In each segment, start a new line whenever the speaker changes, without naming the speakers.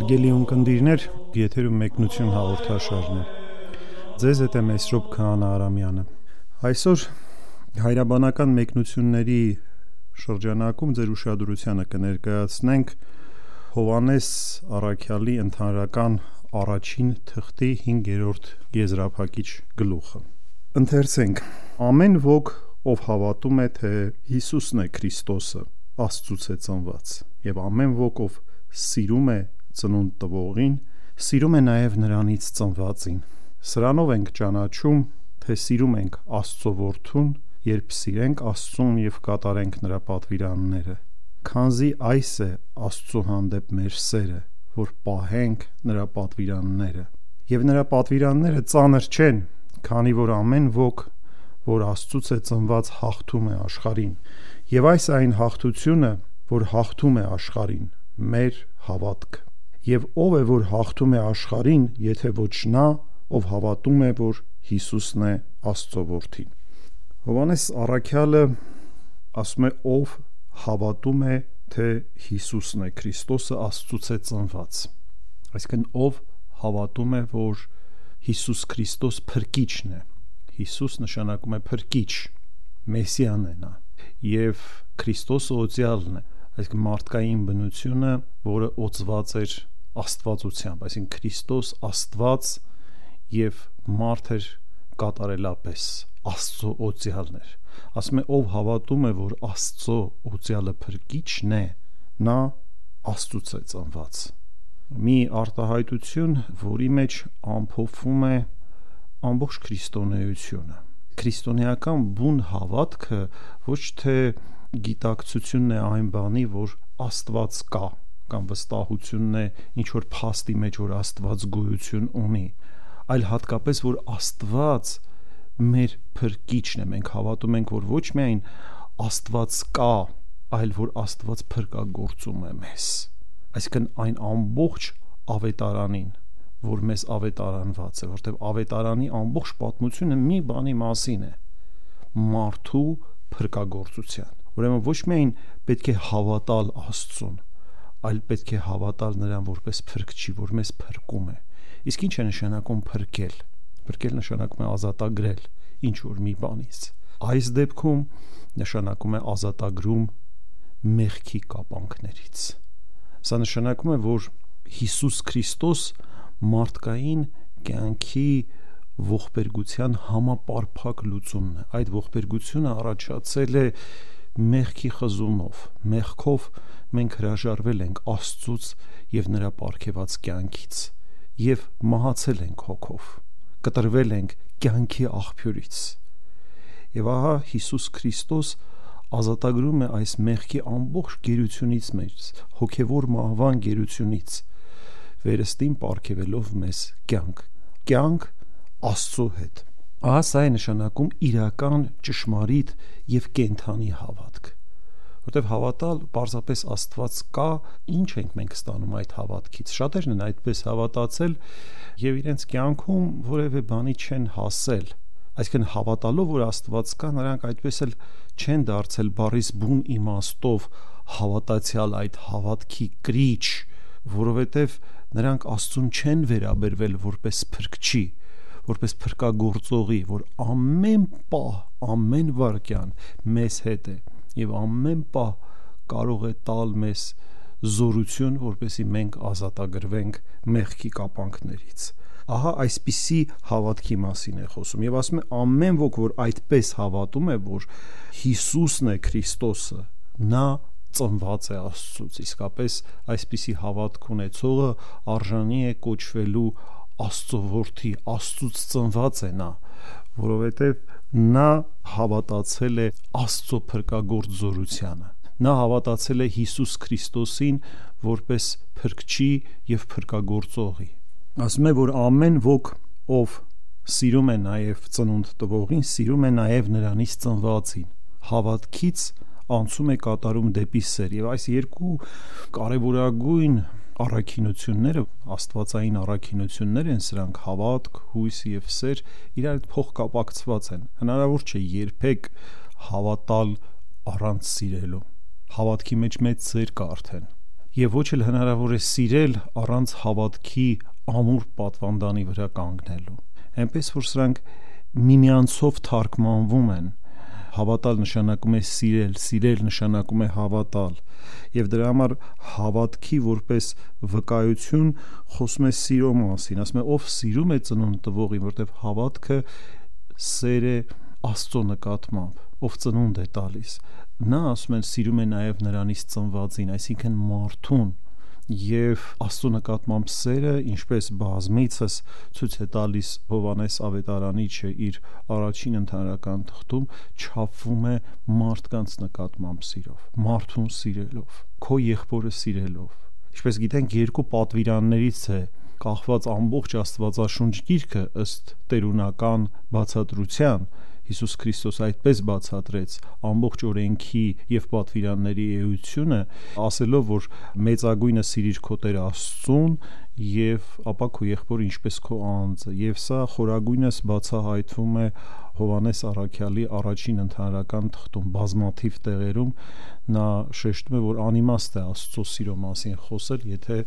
Հարգելի ունկնդիրներ, եթերում մեկնություն հաղորդաշարն է։ Ձեզ հետ է Մեսրոպ Քահանա Արամյանը։ Այսօր հայրաբանական մեկնությունների շրջանակում ձեր ուշադրությանը կներկայացնենք Հովհաննես առաքյալի ընդհանրական առաջին թղթի 5-րդ եզրափակիչ գլուխը։ Ընթերցենք. Ամեն ոք, ով հավատում է, թե Հիսուսն է Քրիստոսը, Աստծուց է ծնված, եւ ամեն ոք, ով սիրում է ծնունդ տվողին, սիրում է նաև նրանից ծնվածին։ Սրանով ենք ճանաչում, թե սիրում ենք Աստծո որդուն, երբ սիրենք Աստծուն եւ կատարենք նրա պատվիրանները։ Քանզի այս է Աստծո հանդեպ մեր սերը, որ պահենք նրա պատվիրանները։ Եվ նրա պատվիրանները ծանր չեն, քանի որ ամեն ոք, որ Աստծուց է ծնված, հաղթում է աշխարհին։ Եվ այս է այն հաղթությունը, որ հաղթում է աշխարհին, մեր հավատքը։ Եվ ով է, որ հաղթում է աշխարհին, եթե ոչ նա, ով հավատում է, որ Հիսուսն է Աստծո որդին։ Հովհաննես առաքյալը ասում է, ով հավատում է, թե Հիսուսն է Քրիստոսը, Աստծուց է ծնված։ Այսինքն ով հավատում է, որ Հիսուս Քրիստոս փրկիչն է։ Հիսուս նշանակում է փրկիչ, Մեսիան է նա։ Եվ Քրիստոսը օծյալն է, այսինքն մարդկային բնությունը, որը օծված էր աստվածությամբ, այսինքն Քրիստոս Աստված եւ մարդ էր կատարելապես, Աստծո օծյալն էր։ Ասում է, ով հավատում է, որ Աստծո օծյալը փրկիչն է, նա Աստծուց է ծնված։ Մի արտահայտություն, որի մեջ ամփոփվում է ամբողջ քրիստոնեությունը։ Քրիստոնեական բուն հավատքը ոչ թե գիտակցությունն է այն բանի, որ Աստված կա, կամ վստահությունն է ինչ որ փաստի մեջ, որ Աստված գոյություն ունի, այլ հատկապես, որ Աստված մեր փրկիչն է։ Մենք հավատում ենք, որ ոչ միայն Աստված կա, այլ որ Աստված փրկagorցում է մեզ։ Այսինքն այն ամբողջ ավետարանին, որ մեզ ավետարանված է, որտեղ ավետարանի ամբողջ պատմությունը մի բանի մասին է՝ մարդու փրկagorցության։ Ուրեմն ոչ միայն պետք է հավատալ Աստծուն, այլ պետք է հավատալ նրան որպես փրկչի, որ մեզ փրկում է։ Իսկ ինչ է նշանակում փրկել։ Փրկել նշանակում է ազատագրել ինչ որ մի բանից։ Այս դեպքում նշանակում է ազատագրում մեղքի կապանքներից։ Սա նշանակում է, որ Հիսուս Քրիստոս մարդկային կյանքի ողբերգության համապարփակ լուծումն է։ Այդ ողբերգությունը առաջացել է մեղքի խզումով, մեղքով մենք հրաժարվել ենք Աստծուց եւ նրա պարգևած կյանքից եւ մահացել ենք հոգով, կտրվել ենք կյանքի աղբյուրից։ Եվ ահա Հիսուս Քրիստոս ազատագրում է այս մեղքի ամբողջ գերությունից մեզ, հոգեվոր մահվան գերությունից, վերստին պարգևելով մեզ կյանք Աստծո հետ։ Ահա սա է նշանակում իրական ճշմարիտ եւ կենթանի հավատք, որտեղ հավատալ պարզապես Աստված կա, ինչ ենք մենք ստանում այդ հավատքից։ Շատերն են այդպես հավատացել եւ իրենց կյանքում որևէ բանի չեն հասել։ Այսինքն հավատալով, որ Աստված կա, նրանք այդպես էլ չեն դարձել բառից բուն իմաստով հավատացյալ այդ հավատքի կրիչ, որովհետեւ նրանք Աստծուն չեն վերաբերվել որպես փրկչի, որպես փրկagorցողի, որ ամեն պահ, ամեն վայրկյան մեզ հետ է եւ ամեն պահ կարող է տալ մեզ զորություն, որպեսզի մենք ազատագրվենք մեղքի կապանքներից։ Ահա այսպիսի հավատքի մասին է խոսում եւ ասում է ամեն ոք, որ այդպես հավատում է, որ Հիսուսն է Քրիստոսը, նա ծնված է Աստծուց։ Իսկապես այսպիսի հավատք ունեցողը արժանի է կոչվելու Աստծո որդի, Աստծուց ծնված է նա, որովհետև նա հավատացել է Աստծո փրկagorց զորությանը։ Նա հավատացել է Հիսուս Քրիստոսին որպես փրկչի եւ փրկagorցողի։ Ասում է, որ ամեն ոք, ով սիրում է նաև ծնունդ տվողին, սիրում է նաև նրանից ծնվածին։ Հավատքից անցում է կատարում դեպի սեր, եւ այս երկու կարևորագույն առաքինությունները, աստվածային առաքինություններ են սրանք, հավատք, հույս եւ սեր, իրար հետ փոխկապակցված են։ Հնարավոր չէ երբեք հավատալ առանց սիրելու։ Հավատքի մեջ մեծ սեր կա արդեն, եւ ոչ էլ հնարավոր է սիրել առանց հավատքի ամուր պատվանդանի վրա կանգնելու։ Այնպես որ սրանք միմյանցով թարգմանվում են։ Հավատալ նշանակում է սիրել, սիրել նշանակում է հավատալ, եւ դրա համար հավատքի որպես վկայություն խոսում է սիրո մասին, ասում է ով սիրում է ծնունդ տվողին, որտեվ հավատքը սեր է Աստծո նկատմամբ, ով ծնունդ է տալիս, նա ասում են սիրում է նաեւ նրանից ծնվածին, այսինքն մարդուն, եւ Աստծո նկատմամբ սերը, ինչպես բազմիցս ցույց է տալիս Հովհաննես Ավետարանիչը իր առաջին ընդհանրական թղթում, չափվում է մարդկանց նկատմամբ սիրով, մարդուն սիրելով, քո եղբորը սիրելով։ Ինչպես գիտենք, երկու պատվիրաններից է կախված ամբողջ Աստվածաշունչ գիրքը ըստ տերունական բացատրության։ Հիսուս Քրիստոս այդպես բացատրեց ամբողջ օրենքի եւ պատվիրանների էությունը, ասելով, որ մեծագույնը սիրիր քո Տեր Աստծուն եւ ապա քո եղբորը ինչպես քո անձը, եւ սա խորագույնս բացահայտվում է Հովհաննես առաքյալի առաջին ընդհանրական թղթում, բազմաթիվ տեղերում նա շեշտում է, որ անիմաստ է Աստծո սիրո մասին խոսել, եթե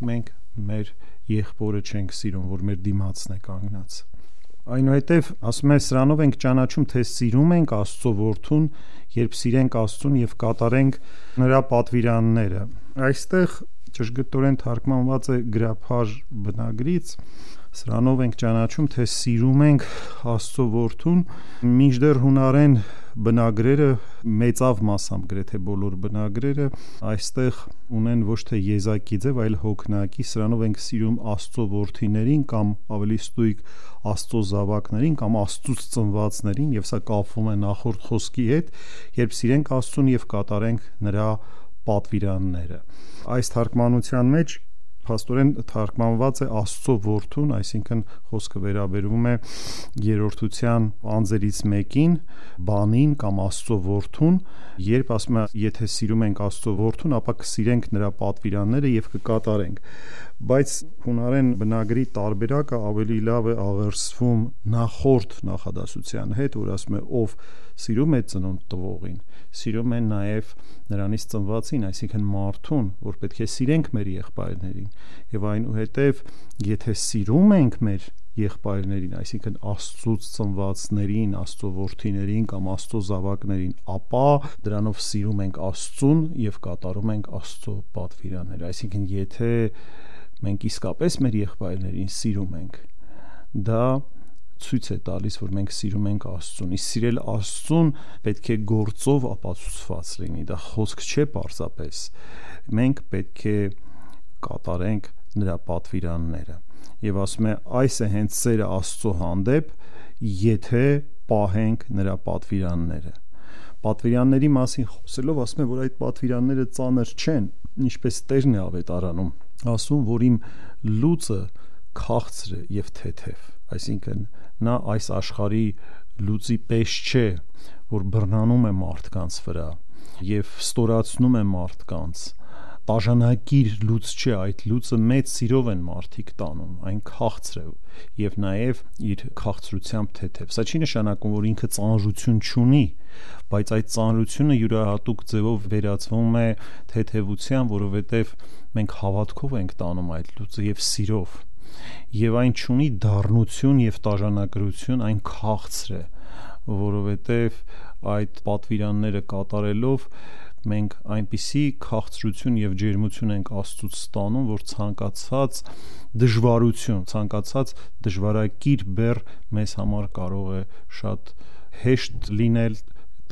մենք մեր եղբորը չենք սիրում, որ մեր դիմացն է կանգնած։ Այնուհետև ասում է սրանով ենք ճանաչում, թե սիրում ենք Աստծո որդուն, երբ սիրենք Աստծուն եւ կատարենք նրա պատվիրանները։ Այստեղ ճշգրտորեն թարգմանված է գրաբար բնագրից, սրանով ենք ճանաչում, թե սիրում ենք Աստծո որդուն, մինչդեռ հունարեն բնագրերը, մեծավ մասամբ գրեթե բոլոր բնագրերը այստեղ ունեն ոչ թե եզակի ձև, այլ հոգնակի, սրանով ենք սիրում Աստծո որդիներին կամ ավելի ստույգ Աստծո զավակներին կամ Աստծուց ծնվածներին, եւ սա կապվում է նախորդ խոսքի հետ, երբ սիրենք Աստծուն եւ կատարենք նրա պատվիրանները։ Այս թարգմանության մեջ փաստորեն թարգմանված է Աստծո որդուն, այսինքն խոսքը վերաբերվում է երրորդության անձերից մեկին, բանին կամ Աստծո որդուն, երբ ասում է եթե սիրում ենք Աստծո որդուն, ապա կսիրենք նրա պատվիրանները եւ կկատարենք։ Բայց հունարեն բնագրի տարբերակը ավելի լավ է աղերսվում նախորդ նախադասության հետ, որ ասում է ով սիրում է ծնունդ տվողին, սիրում է նաեւ նրանից ծնվածին, այսինքն մարդուն, որ պետք է սիրենք մեր եղբայրներին, եւ այնուհետեւ եթե սիրում ենք մեր եղբայրներին, այսինքն Աստծուց ծնվածներին, Աստծո որդիներին կամ Աստծո զավակներին, ապա դրանով սիրում ենք Աստծուն եւ կատարում ենք Աստծո պատվիրանները։ Այսինքն եթե մենք իսկապես մեր եղբայրներին սիրում ենք, դա ցույց է տալիս, որ մենք սիրում ենք Աստծուն։ Իսկ սիրել Աստծուն պետք է գործով ապացուցված լինի, դա խոսք չէ պարզապես։ Մենք պետք է կատարենք նրա պատվիրանները։ Եվ ասում է այս է հենց սերը Աստծո հանդեպ, եթե պահենք նրա պատվիրանները։ Պատվիրանների մասին խոսելով ասում է, որ այդ պատվիրանները ծանր չեն, ինչպես Տերն է ավետարանում, ասում, որ իմ լուծը քաղցր է եւ թեթև, այսինքն նա այս աշխարհի լուծի պես չէ, որ բռնանում է մարդկանց վրա եւ ստորացնում է մարդկանց, տաժանակիր լուծ չէ, այդ լուծը մեծ սիրով են մարդիկ տանում, այն քաղցր է եւ նաեւ իր քաղցրությամբ թեթև։ Սա չի նշանակում, որ ինքը ծանրություն չունի, բայց այդ ծանրությունը յուրահատուկ ձևով վերածվում է թեթևության, որովհետեւ մենք հավատքով ենք տանում այդ լուծը եւ սիրով, եւ այն չունի դառնություն եւ տաժանակրություն, այն քաղցր է, որովհետեւ այդ պատվիրանները կատարելով մենք այնպիսի քաղցրություն եւ ջերմություն ենք Աստծուց ստանում, որ ցանկացած դժվարություն, ցանկացած դժվարակիր բեռ մեզ համար կարող է շատ հեշտ լինել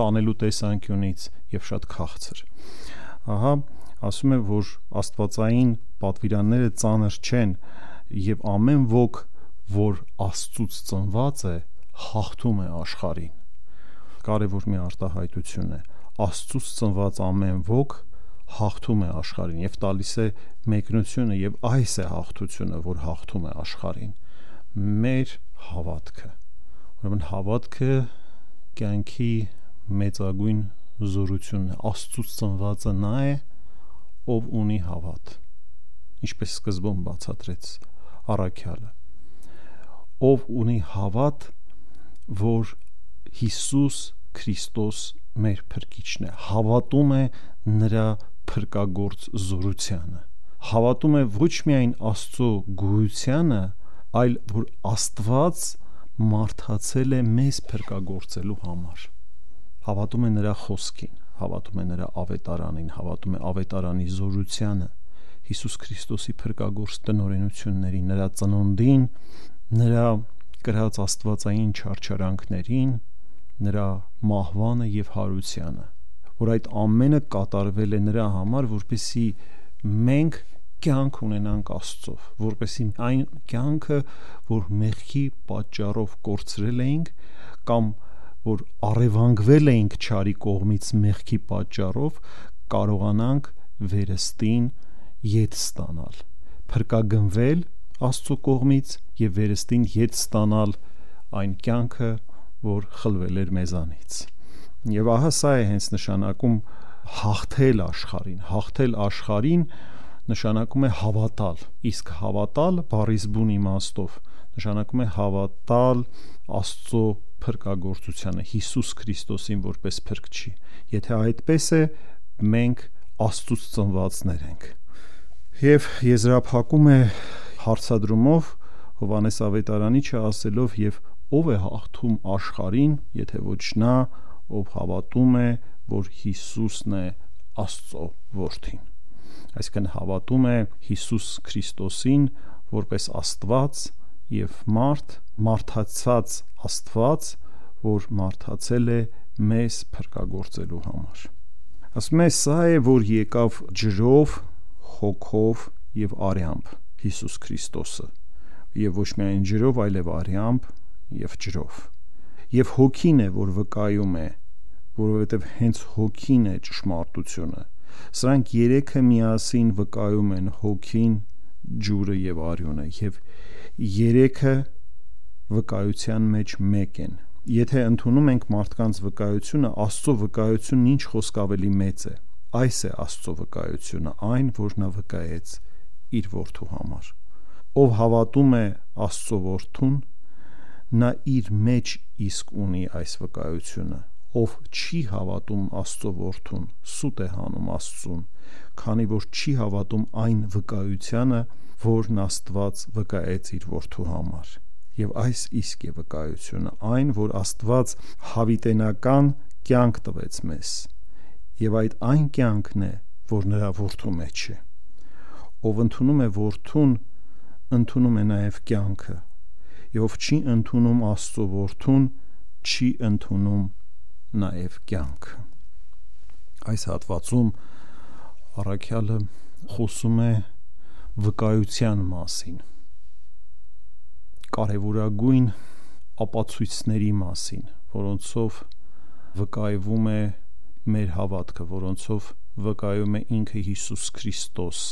տանելու տեսանկյունից եւ շատ քաղցր։ Ահա ասում է, որ աստվածային պատվիրանները ծանր չեն եւ ամեն ոք, որ Աստծուց ծնված է, հաղթում է աշխարհին։ Կարևոր մի արտահայտություն է։ Աստծուց ծնված ամեն ոք հաղթում է աշխարհին եւ տալիս է մեկնությունը, եւ այս է հաղթությունը, որ հաղթում է աշխարհին, մեր հավատքը։ Ուրեմն հավատքը կյանքի մեծագույն զորությունն է, Աստծուց ծնվածը նա է, ով ունի հավատ, ինչպես սկզբում բացատրեց առաքյալը, ով ունի հավատ, որ Հիսուս Քրիստոս մեր փրկիչն է, հավատում է նրա փրկագործ զորությանը, հավատում է ոչ միայն Աստծո գոյությանը, այլ որ Աստված մարդացել է մեզ փրկագործելու համար, հավատում է նրա խոսքին, հավատում է նրա ավետարանին, հավատում է ավետարանի զորությանը, Հիսուս Քրիստոսի փրկագործ տնօրենություններին, նրա ծնունդին, նրա կրած աստվածային չարչարանքներին, նրա մահվանը եւ հարությանը, որ այդ ամենը կատարվել է նրա համար, որպեսզի մենք կյանք ունենանք Աստծով, որպեսզի այն կյանքը, որ մեղքի պատճառով կորցրել էինք, կամ որ առևանգվել էինք չարի կողմից մեղքի պատճառով, կարողանանք վերստին ետ ստանալ, փրկագնվել Աստծո կողմից եւ վերստին ետ ստանալ այն կյանքը, որ խլվել էր մեզանից։ Եվ ահա սա է հենց նշանակում հաղթել աշխարհին նշանակում է հավատալ, իսկ հավատալ բառիս բուն իմաստով նշանակում է հավատալ Աստծո փրկագործությանը, Հիսուս Քրիստոսին որպես փրկչի։ Եթե այդպես է, մենք Աստծուց ծնվածներ ենք։ Եվ եզրափակում է հարցադրումով Հովհաննես Ավետարանիչը ասելով, եւ ով է հաղթում աշխարհին, եթե ոչ նա, ով հավատում է, որ Հիսուսն է Աստծո որդին, այսինքն հավատում է Հիսուս Քրիստոսին որպես Աստված եւ մարդացած Աստված, որ մարդացել է մեզ փրկագործելու համար։ Ասում է, սա է, որ եկավ ջրով, հոգով եւ արյամբ Հիսուս Քրիստոսը, եւ ոչ միայն ջրով, այլև արյամբ եւ ջրով։ Եվ հոգին է, որ վկայում է, որովհետեւ հենց հոգին է ճշմարտությունը։ Սրանք երեքը միասին վկայում են հոգին, ջուրը եւ արյունը, եւ երեքը վկայության մեջ մեկ են։ Եթե ընդունում ենք մարդկանց վկայությունը, Աստծո վկայությունն ինչ խոսք ավելի մեծ է։ Այս է Աստծո վկայությունը, այն, որ նա վկայեց իր որդու համար։ Ով հավատում է Աստծո որդուն, նա իր մեջ իսկ ունի այս վկայությունը։ Ով չի հավատում Աստծո որդուն, սուտ է հանում Աստծուն, քանի որ չի հավատում այն վկայությանը, որն Աստված վկայեց իր որդու համար։ Եվ այս իսկ է վկայությունը, այն, որ Աստված հավիտենական կյանք տվեց մեզ, եւ այդ այն կյանքն է, որ նրա որդու մեջ է։ Ով ընդունում է որդուն, ընդունում է նաեւ կյանքը, եւ ով չի ընդունում Աստծո որդուն, չի ընդունում նաեւ կյանքը։ Այս հատվածում առաքյալը խոսում է վկայության մասին, կարևորագույն ապացույցների մասին, որոնցով վկայվում է մեր հավատքը, որոնցով վկայում է ինքը Հիսուս Քրիստոս,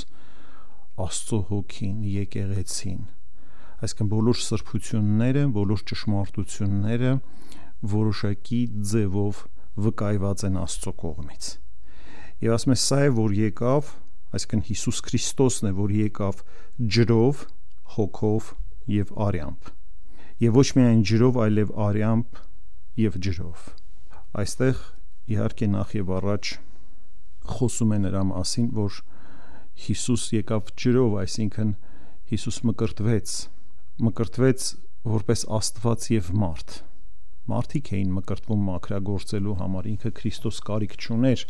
Աստծո հոգին, եկեղեցին, այսինքն բոլոր սրբությունները, բոլոր ճշմարտությունները որոշակի ձևով վկայված են Աստծո կողմից։ Եվ ասում է, սա է, որ եկավ, այսինքն Հիսուս Քրիստոսն է, որ եկավ ջրով, հոգով եւ արյամբ, եւ ոչ միայն ջրով, այլև արյամբ եւ ջրով։ Այստեղ իհարկե նախ եւ առաջ խոսում է նրա մասին, որ Հիսուս եկավ ջրով, այսինքն Հիսուս մկրտվեց որպես Աստված եւ մարդ։ Մարդիկ էին մկրտվում մաքրագործելու համար, ինքը Քրիստոս կարիք չուներ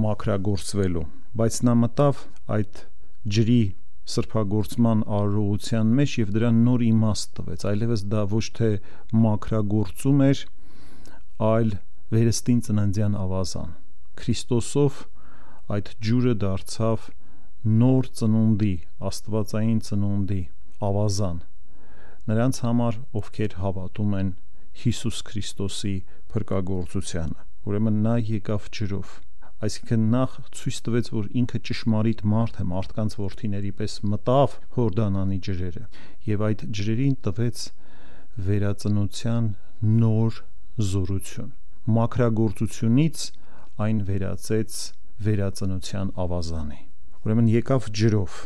մաքրագործվելու, բայց նա մտավ այդ ջրի սրբագործման արարողության մեջ եւ դրան նոր իմաստ տվեց, այլևս դա ոչ թե մաքրագործում էր, այլ վերստին ծննդյան ավազան։ Քրիստոսով այդ ջուրը դարձավ նոր ծնունդի, աստվածային ծնունդի ավազան նրանց համար, ովքեր հավատում են Հիսուս Քրիստոսի փրկագործությանը։ Ուրեմն նա եկավ ջրով, այսինքն նախ ցույց տվեց, որ ինքը ճշմարիտ մարդ է, մարդկանց որդիների պես մտավ Հորդանանի ջրերը եւ այդ ջրերին տվեց վերածնության նոր զորություն, մաքրագործությունից այն վերածեց վերածնության ավազանի։ Ուրեմն եկավ ջրով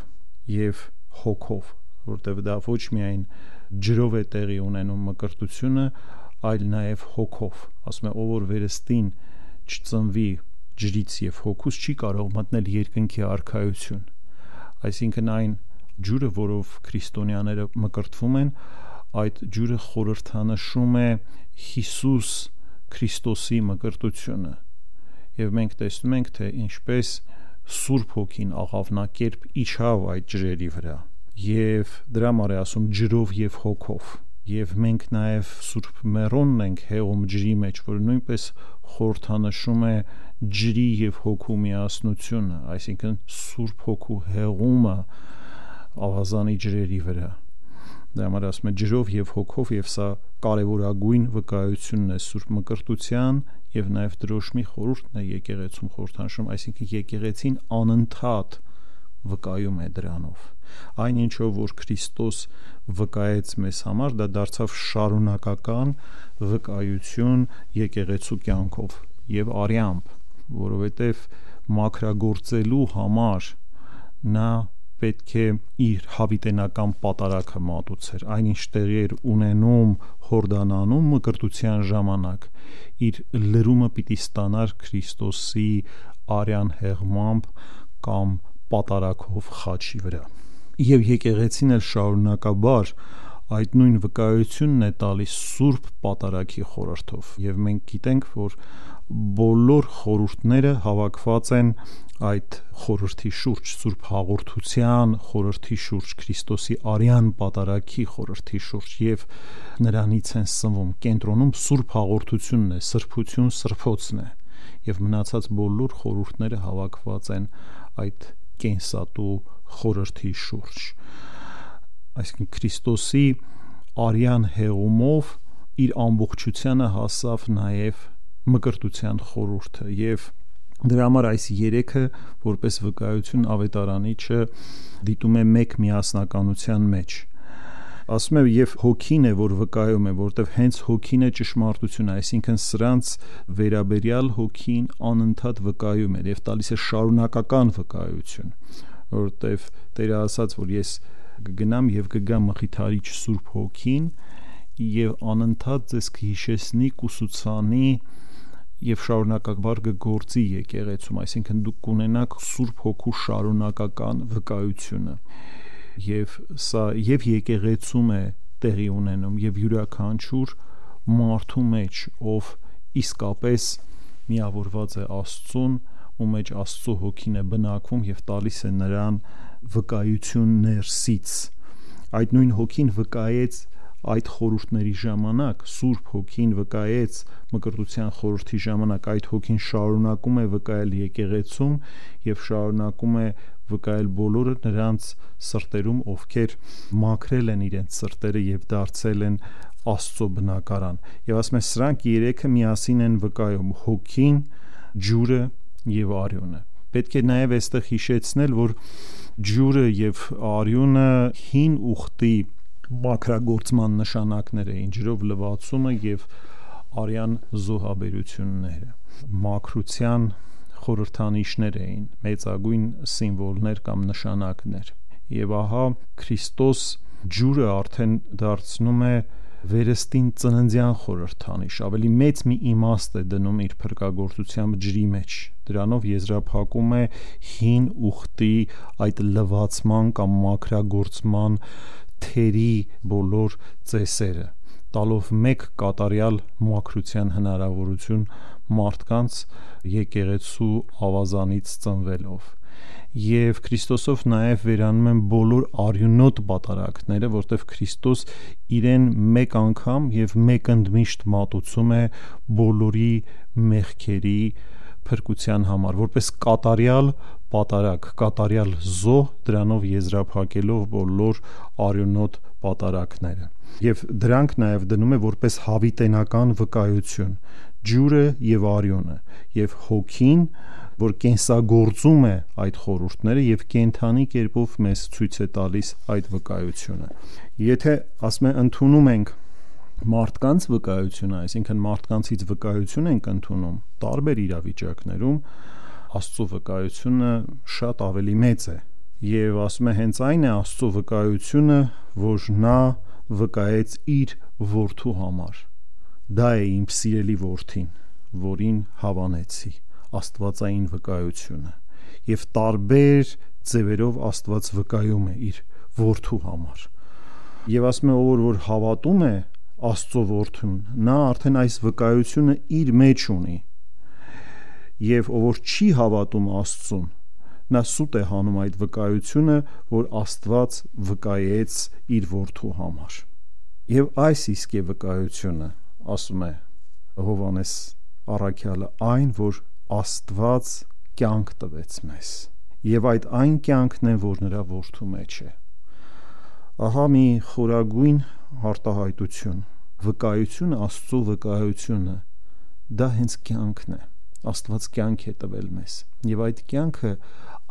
եւ հոգով, որտեղ դա ոչ միայն ջրով է տեղի ունենում մկրտությունը, այլ նաեւ հոգով։ Ասում է, ով որ վերստին չծնվի ջրից եւ հոգուց, չի կարող մտնել երկնքի արքայություն։ Այսինքն այն ջուրը, որով քրիստոնյաները մկրտվում են, այդ ջուրը խորհրդանշում է Հիսուս Քրիստոսի մկրտությունը։ Եվ մենք տեսնում ենք, թե ինչպես Սուրբ Հոգին աղավնակերպ իջավ այդ ջրերի վրա, եւ դրա համար է ասում ջրով եւ հոգով։ Եվ մենք նաեւ Սուրբ Մեռոնն ենք հեղում ջրի մեջ, որը նույնպես խորհրդանշում է ջրի եւ հոգու միասնությունը, այսինքն Սուրբ Հոգու հեղումը ավազանի ջրերի վրա։ Դրա համար ասում է ջրով եւ հոգով, եւ սա կարևորագույն վկայությունն է Սուրբ Մկրտության եւ նաեւ դրոշմի խորհուրդն է եկեղեցում խորհրդանշում, այսինքն եկեղեցին անընդհատ վկայում է դրանով։ Այն ինչով որ Քրիստոս վկայեց մեզ համար, դա դարձավ շարունակական վկայություն եկեղեցու կյանքով եւ արյամբ, որովհետեւ մաքրագործելու համար նա պետք է իր հավիտենական պատարագը մատուցեր, այնինչ տեղի էր ունենում Հորդանանում մկրտության ժամանակ, իր լրումը պիտի ստանար Քրիստոսի արյան հեղմամբ կամ պատարագով խաչի վրա։ Եվ եկեղեցին էլ շարունակաբար այդ նույն վկայությունն է տալիս Սուրբ պատարագի խորհրդով, եւ մենք գիտենք, որ բոլոր խորհուրդները հավաքված են այդ խորհրդի շուրջ, Սուրբ հաղորդության խորհրդի շուրջ, Քրիստոսի արյան պատարագի խորհրդի շուրջ, եւ նրանից են սնվում, կենտրոնում Սուրբ հաղորդությունն է, սրբություն սրբոցն է, եւ մնացած բոլոր խորհուրդները հավաքված են այդ կենսատու խորհրդի շուրջ։ Այսինքն Քրիստոսի արյան հեղումով իր ամբողջությանը հասավ նաեւ մկրտության խորհուրդը, եւ դրա համար այս երեքը որպես վկայություն ավետարանիչը դիտում է մեկ միասնականության մեջ։ Ասում է, եւ հոգին է, որ վկայում է, որտեվ հենց հոգին է ճշմարտությունը, այսինքն սրանց վերաբերյալ հոգին անընդհատ վկայում է եւ տալիս է շարունակական վկայություն, որտեվ Տերը ասաց, որ ես կգնամ եւ կգամ մխիթարիչ Սուրբ Հոգին եւ անընդհատ ձեզ կհիշեցնի, կուսուցանի եւ շարունակաբար կգործի եկեղեցում, այսինքն դուք կունենաք Սուրբ Հոգու շարունակական վկայությունը, եւ սա եւ եկեղեցում է տեղի ունենում եւ յուրաքանչյուր մարդու մեջ, ով իսկապես միավորված է Աստծուն, ու մեջ Աստծո Հոգին է բնակվում եւ տալիս է նրան վկայություն ներսից։ Այդ նույն Հոգին վկայեց այդ խորհուրդների ժամանակ, Սուրբ Հոգին վկայեց մկրտության խորհրդի ժամանակ, այդ Հոգին շարունակում է վկայել եկեղեցում եւ շարունակում է վկայել բոլորը նրանց սրտերում, ովքեր մաքրել են իրենց սրտերը եւ դարձել են Աստծո բնակարան։ Եվ ասում է, սրանք երեքը միասին են վկայում Հոգին, ջուրը եւ արյունը։ Պետք է նաեւ այստեղ հիշեցնել, որ ջուրը եւ արյունը հին ուխտի մաքրագործման նշանակներ էին, ջրով լվացումը եւ արյան զոհաբերությունները մաքրության խորհրդանիշներ էին, մեծագույն սիմվոլներ կամ նշանակներ։ Եվ ահա Քրիստոս ջուրը արդեն դարձնում է վերստին ծննդյան խորհրդանիշ, ավելի մեծ մի իմաստ է դնում իր փրկagorցությամբ ջրի մեջ, դրանով եզրափակում է հին ուխտի այդ լվացման կամ մաքրագործման թերի բոլոր ծեսերը, տալով մեկ կատարյալ մաքրության հնարավորություն մարդկանց եկեղեցու ավազանից ծնվելով։ Եվ Քրիստոսով նաև վերանում են բոլոր արյունոտ պատարագները, որտեղ Քրիստոս իրեն մեկ անգամ եւ մեկ ընդմիշտ մատուցում է բոլորի մեղքերի փրկության համար, որպես կատարյալ պատարագ, կատարյալ զոհ, դրանով եզրափակելով բոլոր արյունոտ պատարագները։ Եվ դրանք նաև դնում է որպես հավիտենական վկայություն, ջուրը եւ արյունը, եւ հոգին, որ կենսագործում է այդ խորհուրդները եւ կենթանի կերպով մեզ ցույց է տալիս այդ վկայությունը։ Եթե ասում է ընդունում ենք մարդկանց վկայությունը, այսինքն մարդկանցից վկայություն ենք ընդունում տարբեր իրավիճակներում, Աստծո վկայությունը շատ ավելի մեծ է։ Եվ ասում է հենց այն է Աստծո վկայությունը, որ նա վկայեց իր որդու համար։ Դա է իմ սիրելի որդին, որին հավանեցի, աստվածային վկայությունը։ Եվ տարբեր ձևերով Աստված վկայում է իր որդու համար։ Եվ ասում է որ հավատում է Աստծո որդուն, նա արդեն այս վկայությունը իր մեջ ունի։ Եվ ով չի հավատում Աստծուն, նա սուտ է հանում այդ վկայությունը, որ Աստված վկայեց իր որդու համար։ Եվ այս իսկ է վկայությունը, ասում է Հովհաննես առաքյալը, այն, որ Աստված կյանք տվեց մեզ, եւ այդ այն կյանքն է, որ նրա որդու մեջ է։ Ահա մի խորագույն արտահայտություն, վկայությունը, Աստծո վկայությունը, դա հենց կյանքն է։ Աստված կյանք է տվել մեզ, եւ այդ կյանքը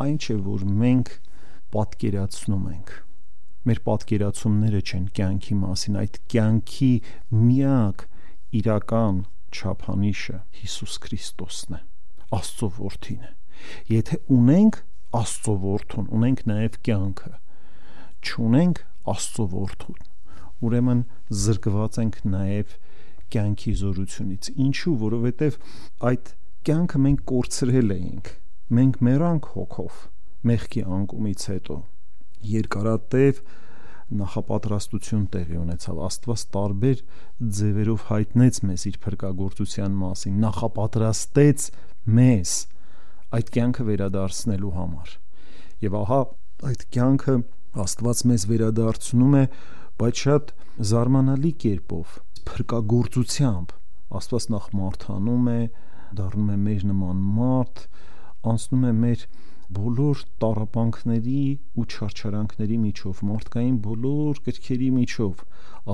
այն չէ, որ մենք պատկերացնում ենք։ Մեր պատկերացումները չեն կյանքի մասին, այդ կյանքի միակ իրական չափանիշը Հիսուս Քրիստոսն է, Աստծո որդին է։ Եթե ունենք Աստծո որդուն, ունենք նաև կյանքը, չունենք Աստծո որդուն, ուրեմն զրկված ենք նաև կյանքի զորությունից։ Ինչու? Որովհետև այդ կյանքը մենք կորցրել էինք, մենք մեռանք հոգով մեղքի անկումից հետո, երկարատև նախապատրաստություն տեղի ունեցավ, Աստված տարբեր ձևերով հայտնեց մեզ իր փրկagorցության մասին, նախապատրաստեց մեզ այդ կյանքը վերադարձնելու համար։ Եվ ահա այդ կյանքը Աստված մեզ վերադարձնում է, բայց շատ զարմանալի կերպով, փրկagorցությամբ։ Աստված նախ մարդանում է, դառնում է մեր նման մարդ, անցնում է մեր բոլոր տառապանքների ու չարչարանքների միջով, մարդկային բոլոր կրքերի միջով,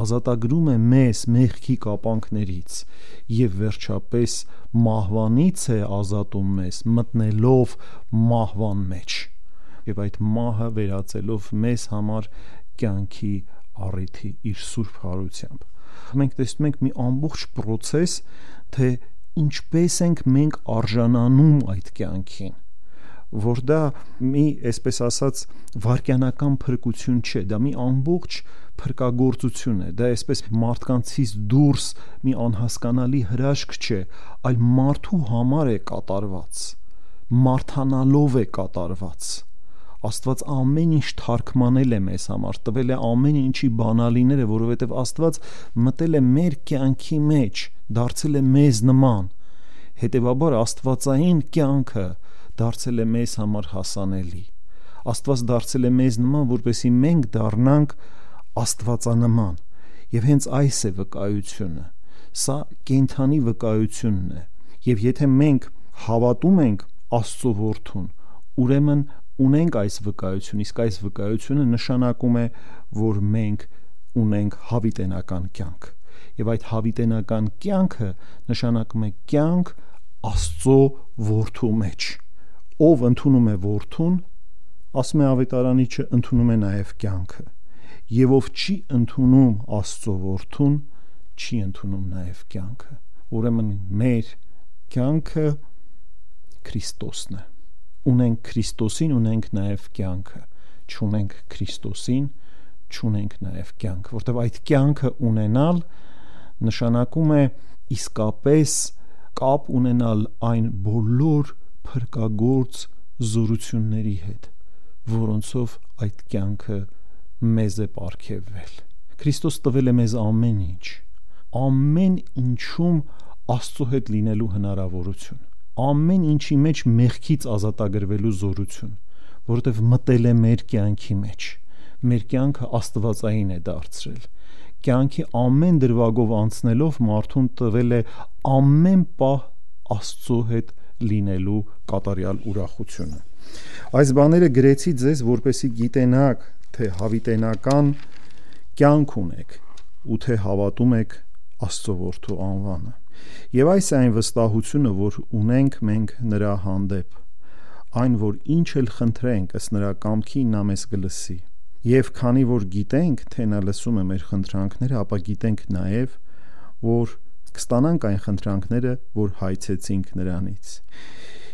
ազատագրում է մեզ մեղքի կապանքներից եւ վերջապես մահվանից է ազատում մեզ, մտնելով մահվան մեջ եւ այդ մահը վերածելով մեզ համար կյանքի առիթի իր սուրբ հարությամբ։ Մենք տեսնում ենք մի ամբողջ process, թե ինչպես ենք մենք արժանանում այդ կյանքին, որ դա մի, այսպես ասած, վարքյանական փրկություն չէ, դա մի ամբողջ փրկagorցություն է, դա այսպես մարդկանցից դուրս մի անհասկանալի հրաշք չէ, այլ մարդու համար է կատարված, մարդանալով է կատարված։ Աստված ամեն ինչ թարգմանել է մեզ համար, տվել է ամեն ինչի բանալիները, որովհետև Աստված մտել է մեր կյանքի մեջ, դարձել է մեզ նման։ Հետևաբար աստվածային կյանքը դարձել է մեզ համար հասանելի։ Աստված դարձել է մեզ նման, որպեսզի մենք դառնանք աստվածանման։ Եվ հենց այս է վկայությունը։ Սա կենդանի վկայությունն է։ Եվ եթե մենք հավատում ենք Աստծո որդուն, ուրեմն ունենք այս վկայություն, իսկ այս վկայությունը նշանակում է, որ մենք ունենք հավիտենական կյանք։ Եվ այդ հավիտենական կյանքը նշանակում է կյանք Աստծո որդու մեջ։ Ով ընդունում է որդուն, ասում է ավետարանիչը, ընդունում է նաև կյանքը։ Եվ ով չի ընդունում Աստծո որդուն, չի ընդունում նաև կյանքը։ Ուրեմն մեր կյանքը Քրիստոսն է։ Ունենք Քրիստոսին, ունենք նաև կյանքը, չունենք Քրիստոսին, չունենք նաև կյանք, որտեղ այդ կյանքը ունենալ նշանակում է իսկապես կապ ունենալ այն բոլոր փրկagorց զորությունների հետ, որոնցով այդ կյանքը մեզ է պարգևվել։ Քրիստոս տվել է մեզ ամեն ինչում Աստծո հետ լինելու հնարավորություն, ամեն ինչի մեջ մեղքից ազատագրվելու զորություն, որովհետև մտել է մեր կյանքի մեջ, մեր կյանքը աստվածային է դարձրել, կյանքի ամեն դրվագով անցնելով մարդուն տվել է ամեն պահ Աստծո հետ լինելու կատարյալ ուրախությունը։ Այս բաները գրեցի ձեզ, որպեսզի գիտենաք, թե հավիտենական կյանք ունեք ու թե հավատում եք Աստծո որդու անվանը։ Եվ այս է այն վստահությունը, որ ունենք մենք նրա հանդեպ, այն, որ ինչ էլ խնդրենք ըստ նրա կամքի, նա մեզ կլսի։ Եվ քանի որ գիտենք, թե նա լսում է մեր խնդրանքները, ապա գիտենք նաև, որ կստանանք այն խնդրանքները, որ հայցեցինք նրանից։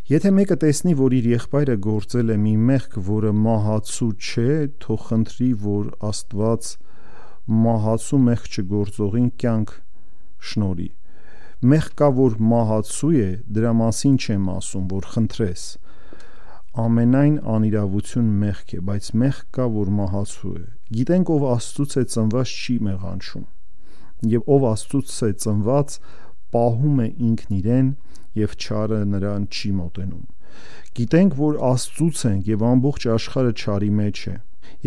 Եթե մեկը տեսնի, որ իր եղբայրը գործել է մի մեղք, որը մահացու չէ, թող խնդրի, որ Աստված մահացու մեղք չգործողին կյանք շնորհի։ Մեղք կա, որ մահացու է, դրա մասին չեմ ասում, որ խնդրես։ Ամենայն անիրավություն մեղք է, բայց մեղք կա, որ մահացու է։ Գիտենք, ով Աստծուց է ծնված, չի մեղանչում, եւ ով Աստծուց է ծնված, պահում է ինքն իրեն, եւ չարը նրան չի մոտենում։ Գիտենք, որ Աստծուց ենք եւ ամբողջ աշխարհը չարի մեջ է,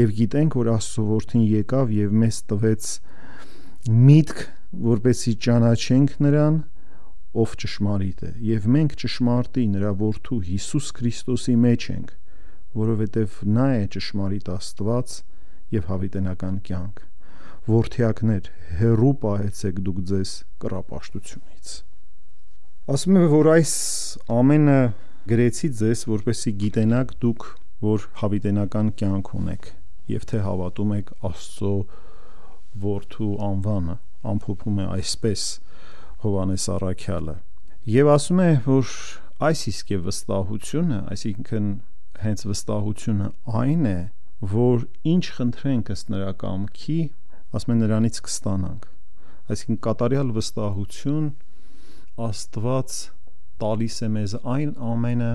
եւ գիտենք, որ Աստծո որդին եկավ եւ մեզ տվեց միտք, որպեսզի ճանաչենք նրան, ով ճշմարիտ է, եւ մենք ճշմարտի նրա որդու Հիսուս Քրիստոսի մեջ ենք, որովհետեւ նա է ճշմարիտ Աստված եւ հավիտենական կյանք։ Որդիակներ, հեռու պահեցեք դուք ձեզ կռապաշտությունից։ Ասում է, որ այս ամենը գրեցի ձեզ, որպեսզի գիտենաք դուք, որ հավիտենական կյանք ունեք եւ թե հավատում եք Աստծո որդու անվանը, ամփոփում է այսպես Հովհաննես առաքյալը։ Եվ ասում է, որ այս իսկ է վստահությունը, այսինքն հենց վստահությունը այն է, որ ինչ խնդրենք ըստ նրա կամքի, ասում է նրանից կստանանք։ Այսինքն կատարյալ վստահություն Աստված տալիս է մեզ այն ամենը,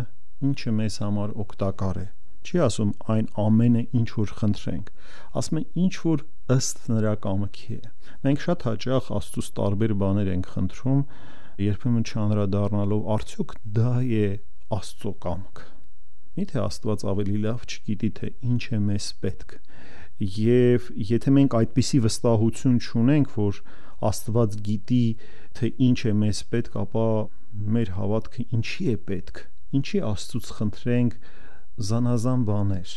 ինչը մեզ համար օգտակար է։ Չի ասում այն ամենը, ինչ որ խնդրենք, ասում է ինչ որ ըստ նրա կամքի է։ Մենք շատ հաճախ Աստծուց տարբեր բաներ ենք խնդրում, երբեմն չանդրադառնալով արդյոք դա է Աստծո կամքը։ Միթե Աստված ավելի լավ չգիտի, թե ինչ է մեզ պետք։ Եվ եթե մենք այդպիսի վստահություն չունենք, որ Աստված գիտի, թե ինչ է մեզ պետք, ապա մեր հավատքը ինչի է պետք, ինչի Աստծուց խնդրենք զանազան բաներ։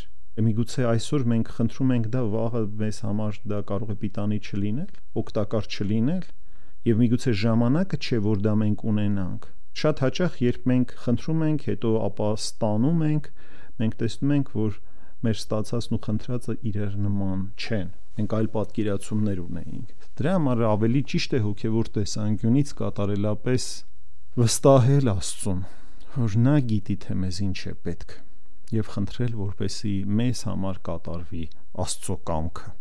Միգուցե այսօր մենք խնդրում ենք դա, վաղը մեզ համար դա կարող է պիտանի չլինել, օգտակար չլինել, եւ միգուցե ժամանակը չէ, որ դա մենք ունենանք։ Շատ հաճախ, երբ մենք խնդրում ենք, հետո ապա ստանում ենք, մենք տեսնում ենք, որ մեր ստացածն ու խնդրածը իրար նման չեն։ Մենք այլ պատկերացումներ ունեինք։ Դրա համար ավելի ճիշտ է հոգևոր տեսանկյունից կատարելապես վստահել Աստծուն, որ նա գիտի, թե մեզ ինչ է պետք, եւ խնդրել, որպեսզի մեզ համար կատարվի Աստծո կամքը։